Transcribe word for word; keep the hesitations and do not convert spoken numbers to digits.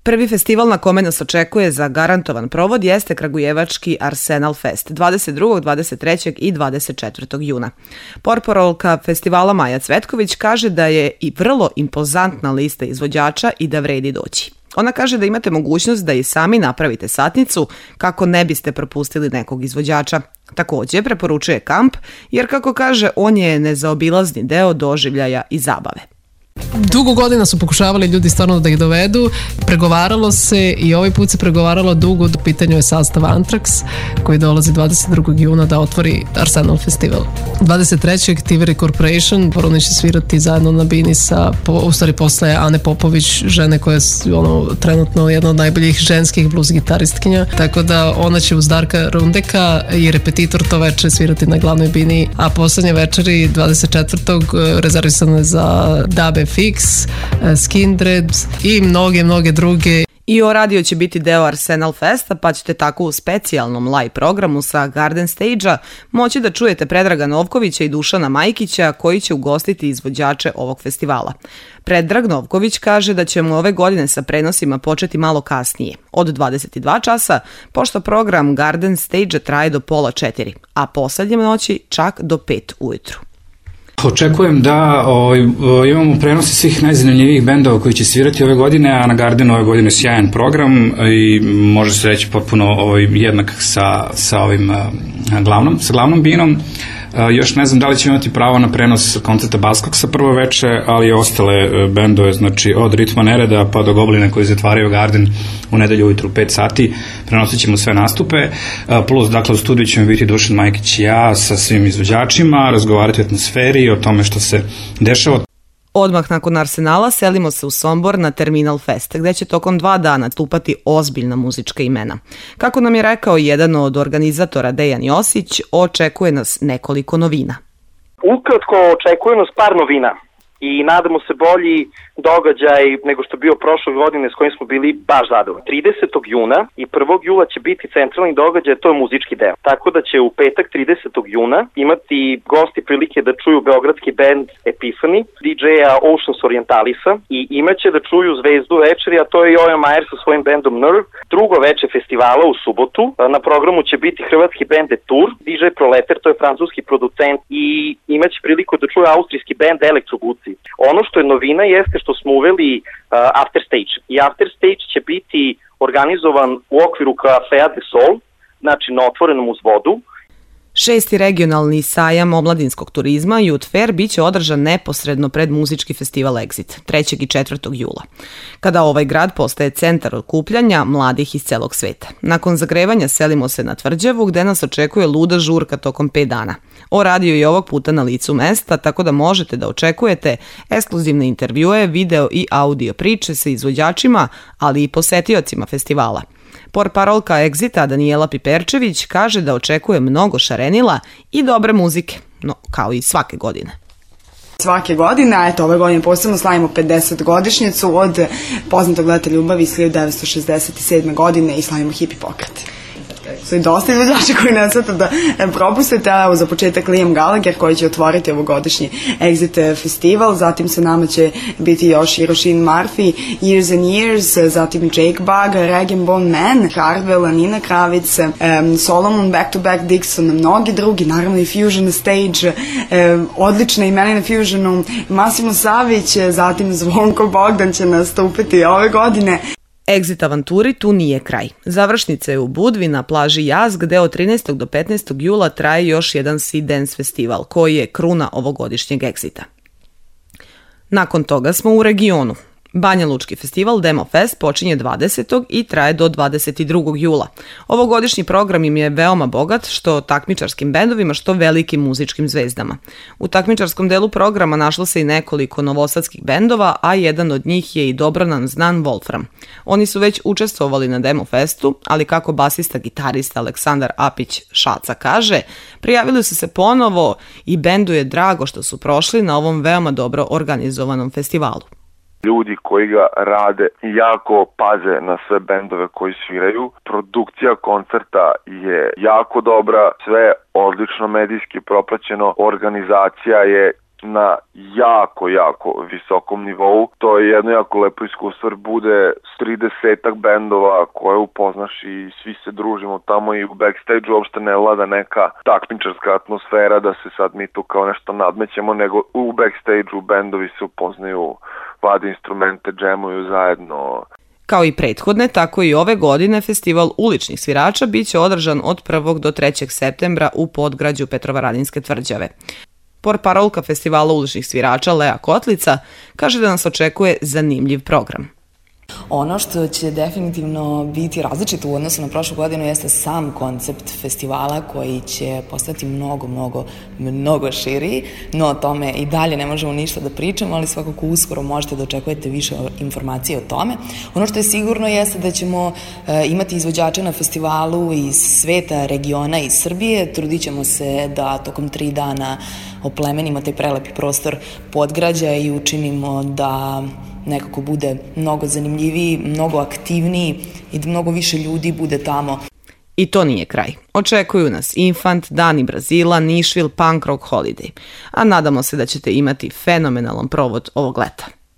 Prvi festival na kome nas očekuje za garantovan provod jeste kragujevački Arsenal Fest dvadeset drugog, dvadeset trećeg i dvadeset četvrtog juna. Portparolka festivala Maja Cvetković kaže da je i vrlo impozantna lista izvođača i da vredi doći. Ona kaže da imate mogućnost da i sami napravite satnicu kako ne biste propustili nekog izvođača. Također preporučuje kamp jer, kako kaže, on je nezaobilazni deo doživljaja i zabave. Dugo godina su pokušavali ljudi stvarno da ih dovedu, pregovaralo se i ovaj put se pregovaralo dugo. U pitanju je sastav Anthrax koji dolazi dvadeset drugog juna da otvori Arsenal Festival. dvadeset trećeg Tiveri Corporation, oni će svirati zajedno na bini sa, u stvari posle Ane Popović, žene koja je ono, trenutno jedna od najboljih ženskih blues gitaristkinja, tako da ona će uz Darka Rundeka i repetitor to veče svirati na glavnoj bini, a poslednje večeri dvadeset četvrtog rezervisane za Dabe Fix, Skindred i mnoge, mnoge druge. I O Radio će biti deo Arsenal Festa, pa ćete tako u specijalnom live programu sa Garden Stage-a moći da čujete Predraga Novkovića i Dušana Majkića koji će ugostiti izvođače ovog festivala. Predrag Novković kaže da ćemo ove godine sa prenosima početi malo kasnije, od dvadeset dva časa, pošto program Garden Stage-a traje do pola četiri, a poslednje noći čak do pet ujutru. Očekujem da o, imamo prenosi svih najzanimljivijih bendova koji će svirati ove godine, a na Gardenu ove godine sjajan program i može se reći potpuno ovaj, jednak sa, sa ovim glavnom, sa glavnom binom. Još ne znam da li ćemo imati pravo na prenos koncerta Baskoksa prvo veče, ali i ostale bendove, znači od Ritma Nereda pa do Gobline koji zatvaraju Garden u nedelju ujutru u pet sati, prenosit ćemo sve nastupe, plus dakle u studiju ćemo biti Dušan Majkić i ja sa svim izvođačima, razgovarati o atmosferi, o tome što se dešava. Odmah nakon Arsenala selimo se u Sombor na Terminal Fest, gde će tokom dva dana stupati ozbiljna muzička imena. Kako nam je rekao jedan od organizatora Dejan Josić, očekuje nas nekoliko novina. Ukratko, očekuje nas par novina i nadamo se bolji događaj nego što je bio prošle godine s kojim smo bili baš zadovoljni. tridesetog juna i prvog jula će biti centralni događaj, to je muzički deo. Tako da će u petak tridesetog juna imati gosti prilike da čuju beogradski band Epiphany, D J-a Oceans Orientalisa i imaće da čuju zvezdu večeri, a to je Jojo Mayer sa svojim bandom Nerve. Drugo veče festivala u subotu, na programu će biti hrvatski band The Tour, D J Proleter, to je francuski producent i imaće priliku da čuje austrijski band Elektroguci. Ono što je novina jeste što smo uveli uh, After Stage. I After Stage će biti organizovan u okviru Cafea de Sol, znači na otvorenom uz vodu. Šesti regionalni sajam omladinskog turizma Youth Fair biće održan neposredno pred muzički festival Exit, trećeg i četvrtog jula, kada ovaj grad postaje centar okupljanja mladih iz celog sveta. Nakon zagrevanja selimo se na Tvrđavu, gde nas očekuje luda žurka tokom pet dana. O Radio je ovog puta na licu mesta, tako da možete da očekujete ekskluzivne intervjue, video i audio priče sa izvođačima, ali i posetiocima festivala. Portparolka Exita Danijela Piperčević kaže da očekuje mnogo šarenila i dobre muzike, no kao i svake godine. Svake godine, a eto ove godine posebno slavimo pedeset godišnjicu od poznatog leta ljubavi iz hiljadu devetsto šezdeset sedme godine i slavimo hipi pokret. Su i dosta izvođača koji ne sveta da propustite, a za početak Liam Gallagher koji će otvoriti ovogodišnji Exit festival, zatim sa nama će biti još i Roisin Murphy, Years and Years, zatim Jake Bugg, Rag and Bone Man, Hardwell, Nina Kravic, um, Solomon, Back to Back Dixon, mnogi drugi, naravno i Fusion Stage, um, odlične imena na Fusionu, Massimo Savić, zatim Zvonko Bogdan će nastupiti ove godine. Exit avanturi tu nije kraj. Završnica je u Budvi na plaži Jaz, gde od trinaestog do petnaestog jula traje još jedan Sea Dance festival, koji je kruna ovogodišnjeg Exita. Nakon toga smo u regionu. Banja Lučki festival Demo Fest počinje dvadesetog i traje do dvadeset drugog jula. Ovogodišnji program im je veoma bogat, što takmičarskim bendovima, što velikim muzičkim zvezdama. U takmičarskom delu programa našlo se i nekoliko novosadskih bendova, a jedan od njih je i dobro nam znan Wolfram. Oni su već učestvovali na Demo Festu, ali kako basista gitarista Aleksandar Apić Šaca kaže, prijavili su se ponovo i bendu je drago što su prošli na ovom veoma dobro organizovanom festivalu. Ljudi koji ga rade jako paze na sve bendove koji sviraju. Produkcija koncerta je jako dobra, sve odlično medijski propraćeno, organizacija je na jako, jako visokom nivou. To je jedno jako lepo iskustvo, bude tridesetak bendova koje upoznaš i svi se družimo tamo i u backstage uopšte ne vlada neka takmičarska atmosfera da se sad mi tu kao nešto nadmećemo, nego u backstage-u bendovi se upoznaju, vade instrumente, džemuju zajedno. Kao i prethodne, tako i ove godine festival uličnih svirača biće održan od prvog do trećeg septembra u podgrađu Petrovaradinske tvrđave. Portparolka festivala uličnih svirača Lea Kotlica kaže da nas očekuje zanimljiv program. Ono što će definitivno biti različito u odnosu na prošlu godinu jeste sam koncept festivala koji će postati mnogo, mnogo, mnogo širi, no o tome i dalje ne možemo ništa da pričamo, ali svakako uskoro možete da očekujete više informacije o tome. Ono što je sigurno jeste da ćemo imati izvođače na festivalu iz sveta, regiona i Srbije. Trudit ćemo se da tokom tri dana oplemenimo taj prelepi prostor Podgrađa i učinimo da nekako bude mnogo zanimljiviji, mnogo aktivniji i da mnogo više ljudi bude tamo. I to nije kraj. Očekuju nas Infant, Dani Brazila, Nišvil, Punk Rock Holiday. A nadamo se da ćete imati fenomenalan provod ovog leta.